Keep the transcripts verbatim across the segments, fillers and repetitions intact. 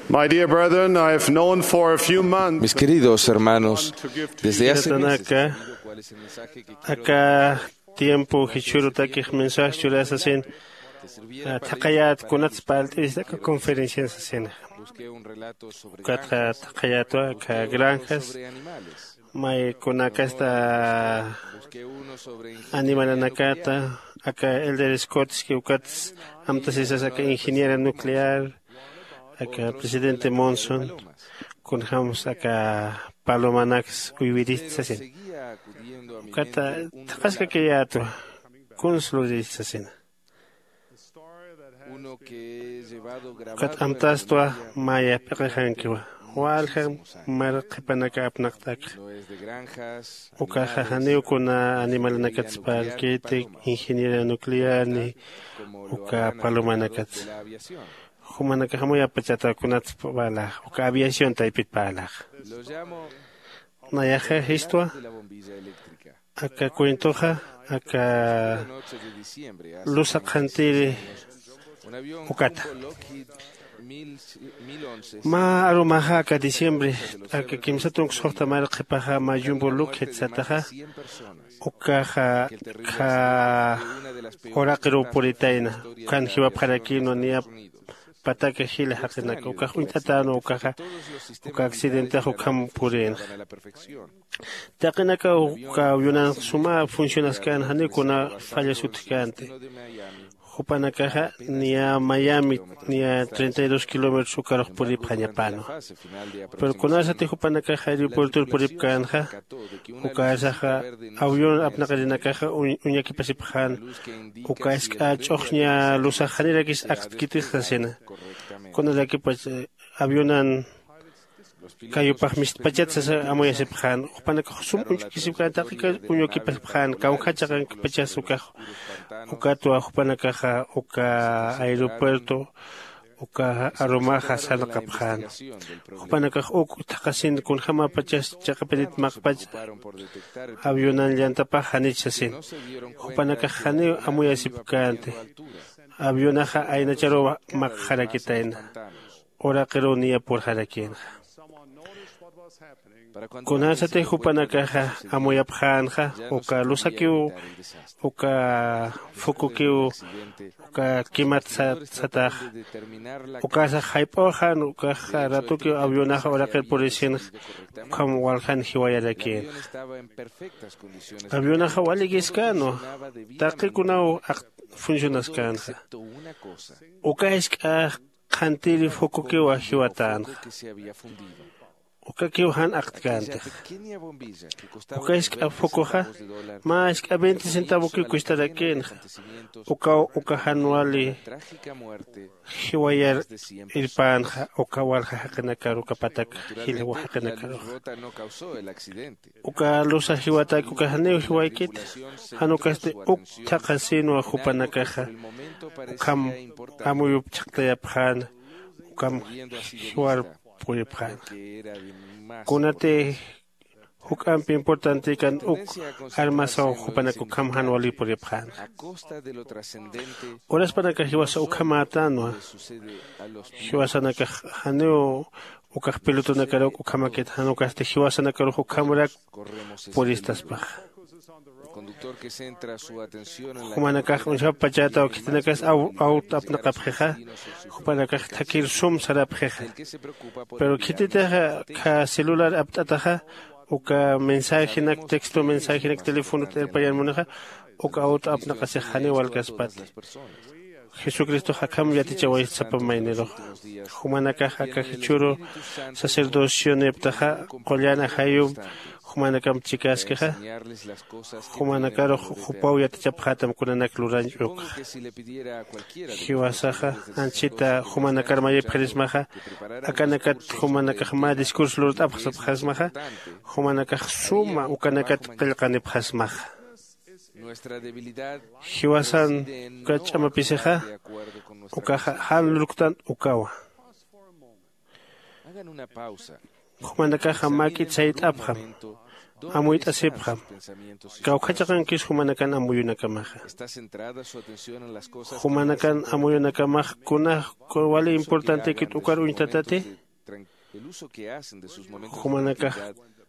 My dear brethren, I have known for a few months Mis queridos hermanos, desde hace meses he tenido cuál es el mensaje que quiero aka tiempo jichhürutakix mensaje churasasina. Thaqayät kunats parlt'ista aka conferencian sasina. Busqué un relato sobre ukatxa granjas, thaqayätwa aka granjas, may kunakasta animalanakata, aka elder Scottski ukats amtasisas aka ingeniera nuclear, aka presidente Monson, kunjämsa aka palomanaks uywirist sasina. Ukata thaqaskakayätwa kuns lurist sasina. Ukat amtastwa maya p'iqixankiwa, walja mar qhipanaka apnaqt'akxa. Ukaxa janiw kuna animalanakatsa parlkiti, ingeniera nuclear ni uka palomanakatsa. Jumanakax amuyapachata kunats parlaxa uka aviación taypit parlaxa. Nayaxa jistwa aka cuentoxa aka lusa qhantiri ukata. Mä arumaxa aka diciembre aka kimsa tunka suxta mari qhipaxa mä yumbu lukjit sataxa, ukaxa kha uraqiruw puritayna. Ukhan jiwapxarakïnwa niya pataka jila jaqinaka ukax uñt'atänwa ukaxa uka accidentex ukham purïnxa. Taqinakaw uka avionanx suma funcionaskän janiw kuna fallasutjkänti. Jupanakaxa niya miami niya treinta y dos kilómetros ukarux puripxañapänwa. Pero kunasati jupanakax aeropuertor puripkänxa ukasaxa avión apnaqirinakaxa uñakipasipxän. Uka isk'a ch'uxña lusax janirakis aktkitix sasina. Kunarakipach avionan kayupax mistpachat sasa amuyasipxän. Jupanakax sum uñch'ukisipkän taqika uñukipasipxän kawjachaqankipachas ukax. Ukatwa jupanakaxa uka aeropuerto uka arumaxa sarnaqapxän. Jupanakax uk thaqhasin kunjämapachas chiqapirit maqpach avionan llantapax janich sasin. Jupanakax janiw amuyasipkänti. Avionaxa aynacharuw maqxarakitayna. Uraqiruw niya purxarakïnxa. Kunasati jupanakaxa amuyapxänxa uka lusakiw uka fukukiw uka kimat sataxa ukasax jayp'uxan ukaxa ratukiw avionaxa uraqir purisinxa. Ukham waljan jiwayarakïnxa. Avionaxa walikiskänwa. Taqikunaw akt funcionaskänxa. Uka isk'a qhantiri fukukiw jiwatänxa. Ukakiw jan aktkäntix. Uka isk'a fukuxa mä isk'a veinte centavokiw kustarakïnxa. Ukaw uka jan wali jiwayar irpänxa uka walja jaqinakar uka patak jilwa jaqinakarux. Uka lusa jiwatak uka janiw jiwaykit. Jan ukasti uk thaqhasïnwa jupanakaxa ukham amuyup chhaqtayapxäna. Ukham jiwar puripxäna. Kunati juk'amp importantikan uk armasaw jupanak ukham jan wali puripxäna. Uraspanakax jiwasa ukhamätänwa. Jiwasanakax janiw ukax pilotonakar uk ukhamakit jan ukasti jiwasanakarux ukhamrak puristaspaxa. Jumanakax uñjapachätaw khitinakas awt apnaqapxixa. Jupanakax thakir sum sarapxixa. Pero khititixa kha celular apt'ataxa uka mensajenak texto mensajenak telefonot irpayan munixa uka awt apnaqasix janiw walkaspati. Jesucristox akham yatichawayist sapa mayniruxa. Jumanakax aka jichhüru sacerdocioniptaxa qullan ajayum jumanakamp chikäskixa. Jumanakarux jupaw yatichapxätam kunanak lurañ ukxa. Jiwasaxa anchhita jumanakar mayipxirismaxa akanakat jumanakax mä discurso lurt'apxsapxasmaxa. Jumanakax suma ukanakat qillqanipxasmaxa. Jiwasan uka ch'amapisixa ukaxa jan lurktan ukawa. Jumanakaxa mak'it sayt'apxam, amuyt'asipxam. Kawkhachaqankis jumanakan amuyunakamaxa. Jumanakan amuyunakamax kunax wali importantekit ukar uñtatati? Jumanakax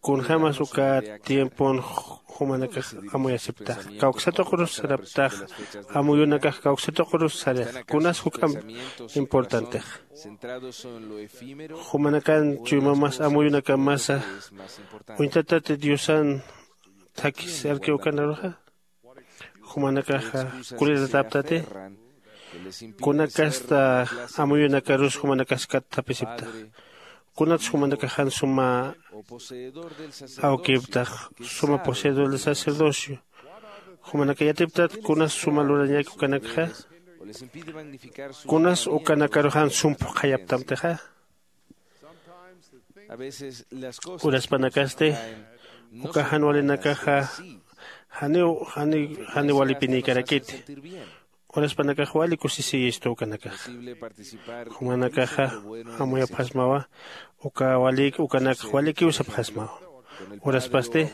kunjämas uka tiempon jumanakax amuyasiptax, kawksatuqrus saraptax. Amuyunakax kawksatuqrus sarixa kunas juk'amp importantex. Jumanakan chuymamas amuyunakamasa uñtatati diosan thakhi sarki ukanaruxa? Jumanakaxa kulirataptati? Kunakasta amuyunakarus jumanakaskat thapisiptax? Kunats jumanakaxan suma awkiptax, suma poseedor de sacerdocio? Jumanaka yatiptat kunas suma lurañak ukanakxa? Kunas ukanakaruxan sum phuqhayaptamtixa? Uraspanakasti uka jan walinakaxa janiw jani jani walipinïkarakiti. Uraspanakax wali kusisiyistu ukanakaxa. Jumanakaxa amuyapxasmawa uka walïk ukanakax walikiw sapxasmawa. Uraspasti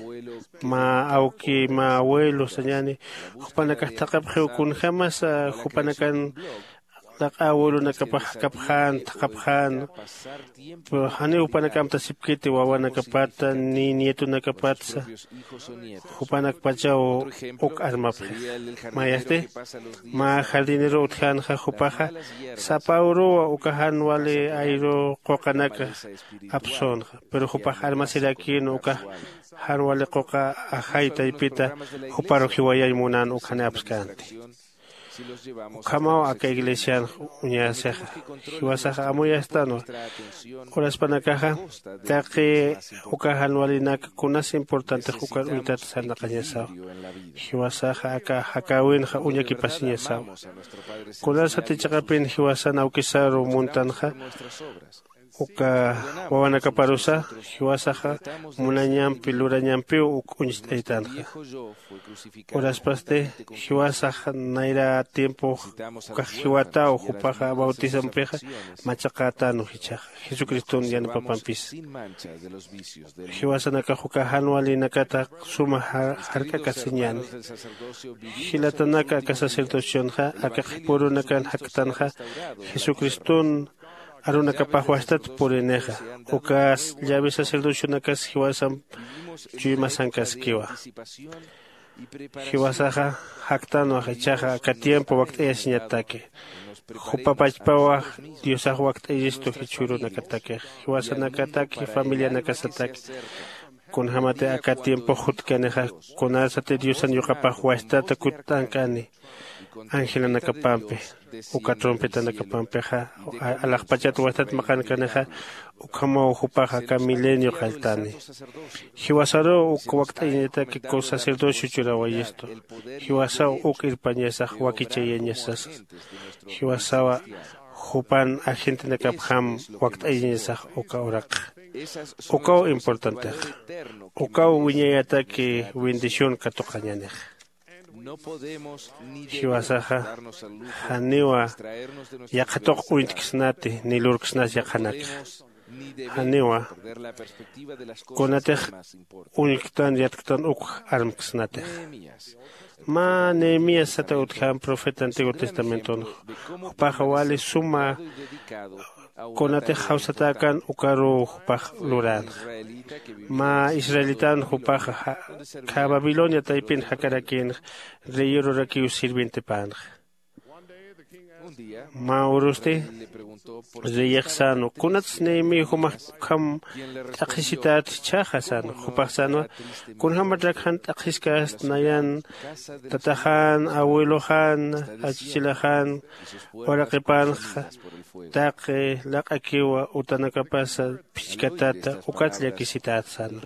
mä awki mä abuelo sañäni jupanakax thaqhapxiw kunjämasa jupanakan laq'a abuelonakapax jakapxän thaqhapxän. Pero janiw jupanak amtasipkiti wawanakapata ni nietonakapatsa. Jupanakpachaw uk armapxix. Mayasti mä jardinero utjänxa jupaxa sapa uruw uka jan wali ayru quqanak apsünxa. Pero jupax armasirakïn uka jan wali quqa ajay taypita juparu jiwayañ munän ukjani apskänti. Ukhamaw aka iglesianx uñasixa. Jiwasaxa amuyastänwa. Uraspanakaxa taqi uka jan walinak kunas importantix ukar uñtat sarnaqañasaw. Jiwasaxa aka jakäwinxa uñakipasiñasaw. Kunasati chiqapin jiwasan awkisaru muntanxa uka wawanakaparusa jiwasaxa munañampi lurañampiw uk uñst'aytanxa. Uraspasti jiwasax nayra tiempox ukax jiwataw jupaxa bautismampixa machaqätänwa jichhaxa jesucriston yanapapampisa. Jiwasanakax uka jan walinakata suma jark'akasiñäni. Jilatanaka aka sacerdocionxa aka qhipurunakan jaktanxa jesucriston arunakapax wastat purinixa. Ukas llavi sacerdocionakas jiwasamp chuymasankaskiwa. Jiwasaxa jaktanwa jichhaxa aka tiempo wakt'ayasiñataki. Jupa pachpawa diosax wakt'ayistu jichhürunakatakix jiwasanakataki familianakasataki. Kunjämati aka tiempox jutkanixa kunasati diosan yuqapax wastata kutt'ankani angelanakapampi uka trompetanakapampixa alaxpachat wastat maqankanixa. Ukhamaw jupax aka milenio qalltani. Jiwasaruw uk wakt'ayañataki sacerdocio churawayistu. Jiwasaw uk irpañasax wakichayañasasa. Jiwasawa jupan agentenakapjam wakt'ayañasax uka uraqxa. Ukaw importantexa. Ukaw wiñayataki bendición katuqañänixa. Jiwasaxa janiwa yaqhatuq uñtksnati ni lurksnas yaqhanakxa. Janiwa kunatix uñktan yatktan uk armksnatix. Mä nehemías sata utjam profeta antiguo testamenton jupaxa wali suma kunatix jawsatäkan ukaruw jupax luränxa. Mä israelitan jupaxa khä babilonia taypin jakarakïnxa reyerurakiw sirvientipänxa. Mä urusti reyix sänwa kunats nehemías jumax ukham t'aqhisität jichhaxa sänwa jupax sänwa kunjämatrak jan t'aqhiskast nayan tataxan abueloxan achichilaxan uraqipanxa taqi laq'akiwa utanakapasa phichkatata ukat llakisität sänwa.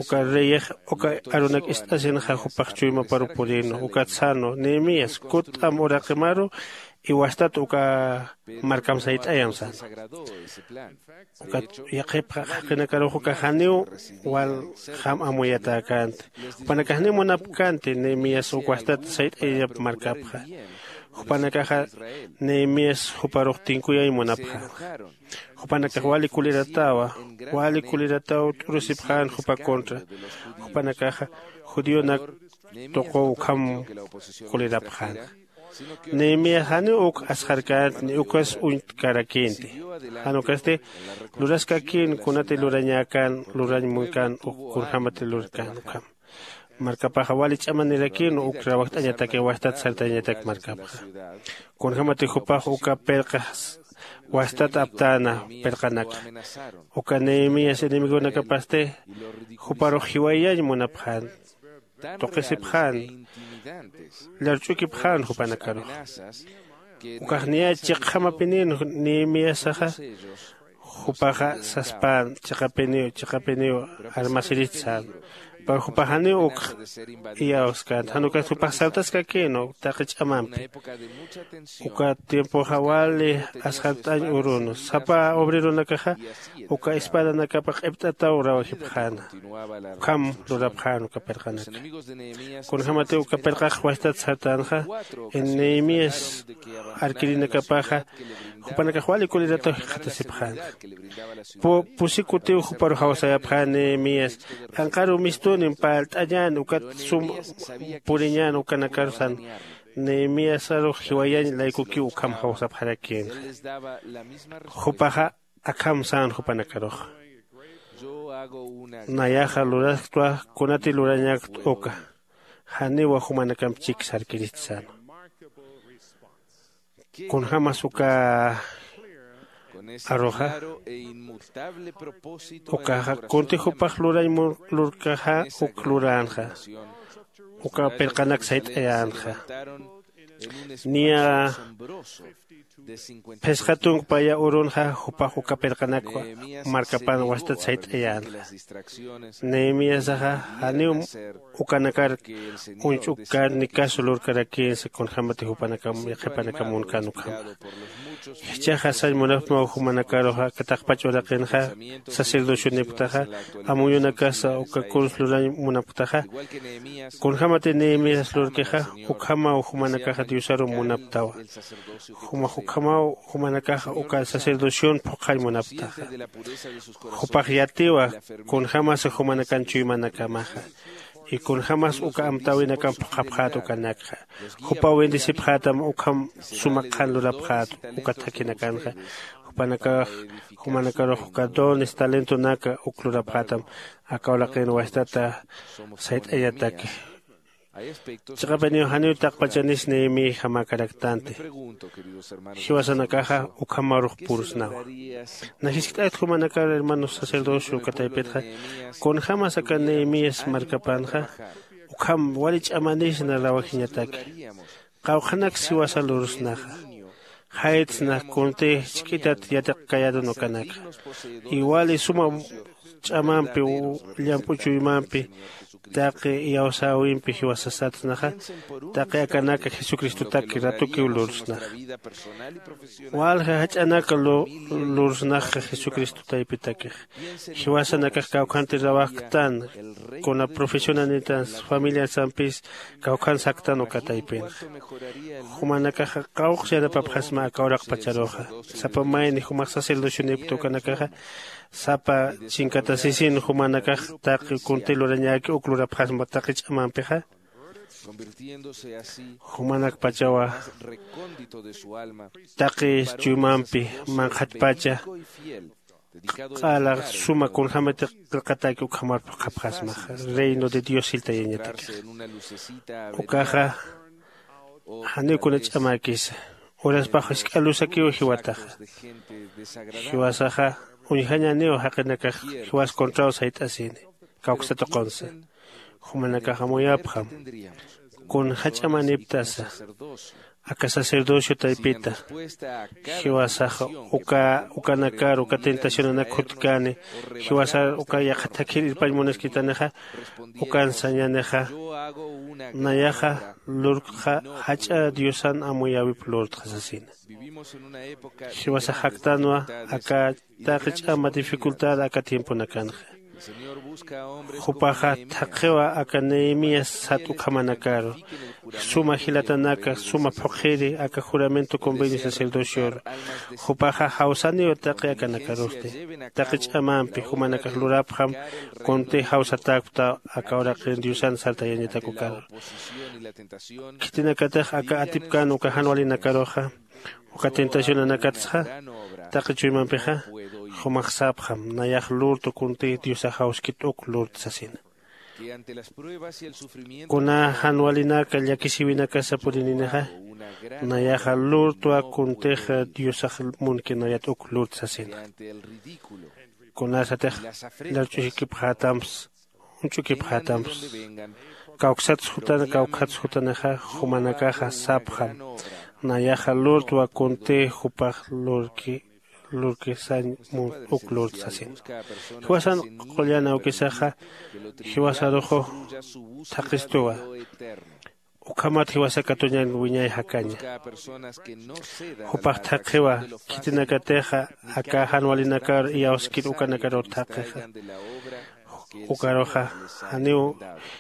Uka reyix uka arunak ist'asinxa jupax chuymaparu purinwa ukat sänwa nehemías kutt'am uraqimaru iwastat uka markam sayt'ayam sänwa. Ukat yaqhip jaqinakarux uka janiw walxam amuyatäkänti. Jupanakax janiw munapkänti nehemías uk wastat sayt'ayañap markapxa. Jupanakaxa nehemías juparux tinkuyañ munapxänxa. Jupanakax wali kuliratawa, wali kulirataw t'urusipxän jupa contra. Jupanakaxa judionak tuquw ukham kulirapxänxa. Nehemías janiw uk asxarkänti ni ukas uñtkarakïnti. Jan ukasti luraskakïn kunati lurañäkän lurañ munkän uk kunjämati lurkän ukham. Markapaxa wali ch'amanirakïn uk rawajt'añatakiw wastat sartayañatak markapxa. Kunjämati jupax uka pirqa wastat aptäna pirqanakxa. Uka nehemías enemigonakapasti juparux jiwayañ munapxän, tuqisipxän, llarch'ukipxän jupanakaruxa. Ukax niya chiqjamapinïn nehemíasaxa jupaxa saspän chiqapiniw chiqapiniw armasirist sän. Pero jupax janiw ukx iyawskänti jan ukas jupax sartaskakïn taqi ch'amampi. Uka tiempoxa wali asxart'añ urun sapa obreronakaxa uka espadanakapa q'ipt'ataw rawajipxäna. Ukham lurapxän uka pirqanaka. Kunjämatiw uka pirqax wastat sartänxa, nehemías arkirinakapaxa jupanakax wali kulirataw jikxatasipxänxa. Pusi kutiw juparux jawsayapxän nehemías, anqaru mistunim parlt'añän ukat sum puriñän ukanakarusan. Nehemíasarux jiwayañ laykukiw ukham jawsapxarakïnxa. Jupaxa akham sän jupanakaruxa. Nayaxa lurasktwa kunati lurañäkt uka. Janiwa jumanakamp chik sarkirist sänwa. Kunjämas uka aruxa ukaxa kunti jupax lurañ lurkaxa uk luränxa. Uka pirqanak sayt'ayänxa. Niya phisqa tunka paya urunxa jupax uka pirqanakwa markapan wastat sayt'ayänxa. Nehemíasaxa janiw ukanakar uñch'ukkan ni caso lurkarakïnsa kunjämati jupanakam yaqhipanakam munkän ukhama. Jichhaxa sañ munapxtmaw jumanakaruxa aka taqpach uraqinxa sacerdocionipktaxa amuyunakasa uka kuns lurañ munapktaxa. Kunjämati nehemías lurkixa ukhamaw jumanakaxa diosarum munapktawa. Jumax ukhamaw jumanakaxa uka sacerdocion phuqhañ munapktaxa. Jupax yatiwa kunjämasa jumanakan chuymanakamaxa. Y kunjämas uka amtäwinakamp phuqhapxät ukanakxa. Jupaw bendecipxätam ukham suma qhan lurapxät uka thakhinakanxa. Jupanakax jumanakarux uka dones talentonaka uk lurapxätam aka uraqin wastata sayt'añataki. Chiqapiniw janiw taqpachanis nehemíajamäkaraktanti. Jiwasanakaxa ukhamarux purusnawa. Najiskt'ayt jumanakar hermanos sacerdocio uka taypitxa kunjämas aka nehemías markapanxa ukham wali ch'amanisna rawajiñataki. Qawqhanaks jiwasa lurusnaxa. Jaytsna kunti jisk'itat yatiqkayarun ukanakxa. Iwali suma ch'amampi llamp'u chuymampi taqi iyawsäwimpi jiwasasatsnaxa. Taqi akanaka jesucristotaki ratukiw lurusnaxa. Walja jach'anaka lurusnaxa jesucristo taypitakixa. Jiwasanakax kawkhanti rawajktan kuna profesionanitan familiasampis kawkhan saktan uka taypinxa. Jumanakaxa qawqs yanapapxasma aka uraqpacharuxa. Sapa mayni jumax sacerdocionipkta ukanakaxa sapa chinkatasisin jumanakax taqi kunti lurañäki uk lurapxasma taqi ch'amampixa. Jumanakpachawa taqi chuymampi manqhatpacha q'ala suma kunjämati qillqataki ukhamar phuqhapxasmaxa. Reino de dios jiltayañatakixa. Ukaxa janiw kuna ch'amäkisa. Uraspax jisk'a luzakiw jiwataxa. Jiwasaxa uñjañäniw jaqinakax jiwas contraw sayt'asini. Kawksa tuqunsa jumanakax amuyapxam. Kun jach'amaniptasa aka sacerdocio taypita. Jiwasaxa uka ukanakar uka tentacionanak jutkäni jiwasar uka yaqha thakhir irpañ munaskitanixa. Ukan sañänixa nayaxa lurktxa jach'a diosan amuyäwip lurtxa sasina. Jiwasax jaktanwa aka taqi ch'ama dificultad aka tiemponakanxa. Jupaxa thaqhiwa aka Nehemías sat ukhamanakaru, suma jilatanaka suma phuqhiri aka juramento convenio sacerdocioru. Jupaxa jawsaniw taqi akanakarusti, taqi ch'amampi jumanakax lurapxam, kunti jawsatäkpta aka uraqin Diosan sartayañatak ukaru. Khitinakatix aka atipkän uka jan walinakaruxa, uka tentacionanakatsxa, taqi chuymampixa, jumax sapxam, nayax lurtu kunti Diosax jawskit uk lurtu sasina. Kuna jan walinaka llakisiwinakasa purininixa, nayaxa lurtwa kuntix Diosax munki nayat uk lurtu sasina. Kunasatix lurch'uskipxätamps, uñch'ukipxätamps, kawksats jutana kawkhats jutanixa, jumanakaxa sapxam, nayaxa lurtwa kunti jupax lurki lurki sañ mun uk lurtu sasin. Jiwasan qullan awkisaxa jiwasaruxu thaqistuwa. Ukhamat jiwasa katuñan wiñay jakaña. Jupax thaqhiwa, khitinakatixa aka jan walinakar iyawskir ukanakaru thaqixa. Ukaruxa janiw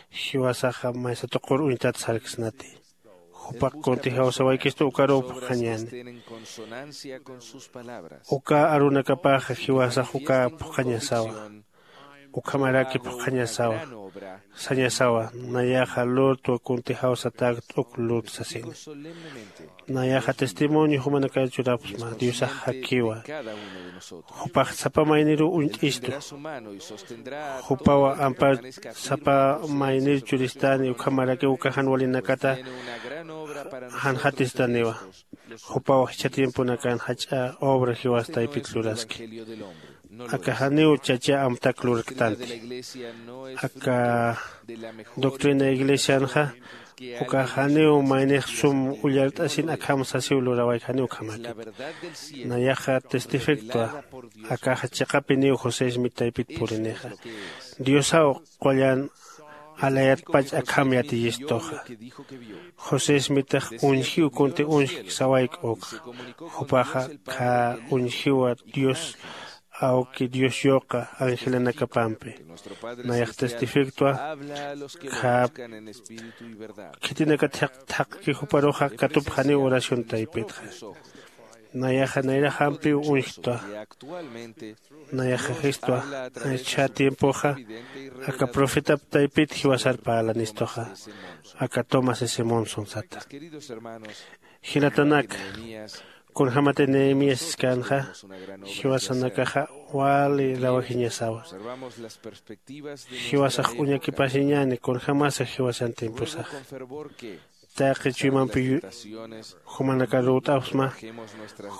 jiwasaxa maysa tuqur uñtat sarksnati. Jupax kunti jawsawaykistu ukaruw phuqhañäni. Uka arunakapaxa jiwasax uka phuqhañasawa. Ukhamaraki phuqhañasawa, sañasawa, nayaxa lurtwa kunti jawsatäkt uk lurtu sasina. Nayaxa testimonio jumanakar churapxsma, Diosax jakiwa. Jupax sapa mayniruw uñt'istu. Jupaw ampar sapa maynir churistani, ukhamarakiw uka jan walinakata janxatistaniwa. Jupaw jichha tiemponakan jach'a obra jiwas taypit luraski. Aka janiw chacha amtak lurktanti. Aka doctrina iglesianxa, uka janiw maynix sum ullart'asin akham sasiw lurawayk, janiw ukhamäkit. Nayaxa testifiktwa, akaxa chiqapiniw José Smith taypit purinixa. Diosaw qullan alayatpach akham yatiyistuxa. José Smithax uñjiw kunti uñjk sawayk ukxa. Jupaxa khä uñjiwa Dios awki Dios yuqa angelanakapampi. Nayax testifiktwa, khä khitinakat thaqki juparuxa katupxaniw oración taypitxa. Nayaxa nayraxampiw uñjtwa. Nayaxaxistwa, jichha tiempoxa aka profetap taypit jiwasar parlanistuxa, aka Thomas S Monson sata. Jilatanaka, kunjämatix Nehemías siskänxa, jiwasanakaxa wali rawajiñasawa. Jiwasax uñakipasiñäni kunjämasa jiwasan tiemposaxa. Taqi chuymampi jumanakar lurt'apxsma,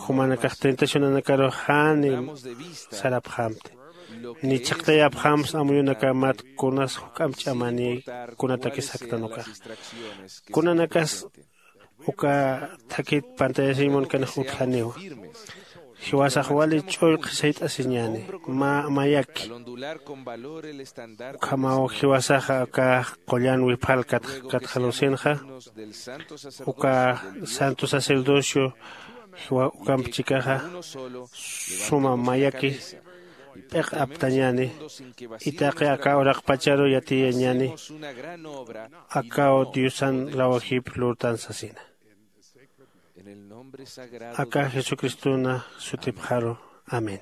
jumanakax tentacionanakarux jani sarapxämti. Ni chhaqtayapxämsa amuyunakamat kunas juk'amp ch'amani, kunatakis jaktan ukaxa. Kunanakas uka thakit pantallasiñ munkanix utjaniwa. Jiwasax wali ch'ullqi sayt'asiñäni, mä mayaki. Ukhamaw jiwasaxa aka qullan wipxal katxalusinxa, uka santo sacerdocio jiwa ukamp chikaxa suma mayaki p'iq aptañäni, itaqi aka uraqpacharu yatiyañäni, akaw Diosan rawajip lurtan sasina. Aka Jesucristona sutipxaru. Amén.